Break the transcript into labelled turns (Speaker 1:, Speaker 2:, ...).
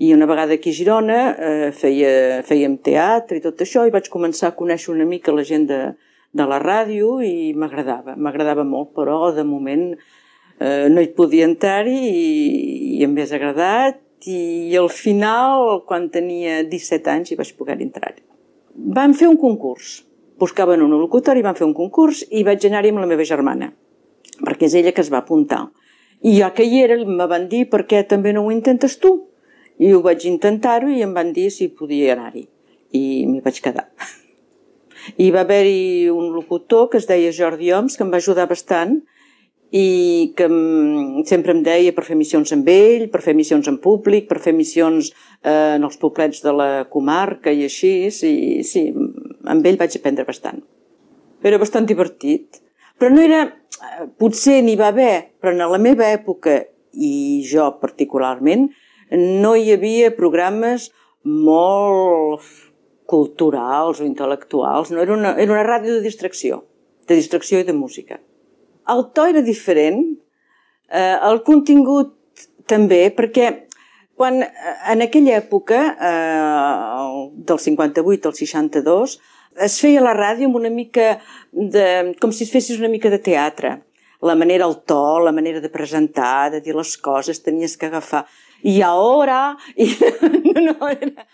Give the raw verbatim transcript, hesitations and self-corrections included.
Speaker 1: I una vegada aquí a Girona eh, feia, fèiem teatre i tot això, i vaig començar a conèixer una mica la gent de, de la ràdio i m'agradava, m'agradava molt, però de moment eh, no hi podia entrar-hi i, i em hagués agradat, i al final, quan tenia disset anys, hi vaig poder entrar-hi. Vam fer un concurs, buscaven un locutori, vam fer un concurs i vaig anar-hi amb la meva germana, perquè és ella que es va apuntar. I ja que hi era, me van dir, per què també no ho intentes tu? I ho vaig intentar-ho i em van dir si podia anar-hi. I m'hi vaig quedar. I va haver-hi un locutor que es deia Jordi Oms, que em va ajudar bastant i que sempre em deia per fer missions amb ell, per fer missions en públic, per fer missions eh, en els poblets de la comarca i així. I sí, amb ell vaig aprendre bastant. Era bastant divertit. Però no era... Potser n'hi va haver, però en la meva època, i jo particularment, no hi havia programes molt culturals o intel·lectuals. No, era una, era una ràdio de distracció, de distracció i de música. El to era diferent, eh, el contingut també, perquè quan en aquella època, eh, del cinquanta-vuit al seixanta-dos, es feia la ràdio amb una mica de... com si es fessis una mica de teatre. La manera, el to, la manera de presentar, de dir les coses, tenies que agafar. I ara... I no, no, era...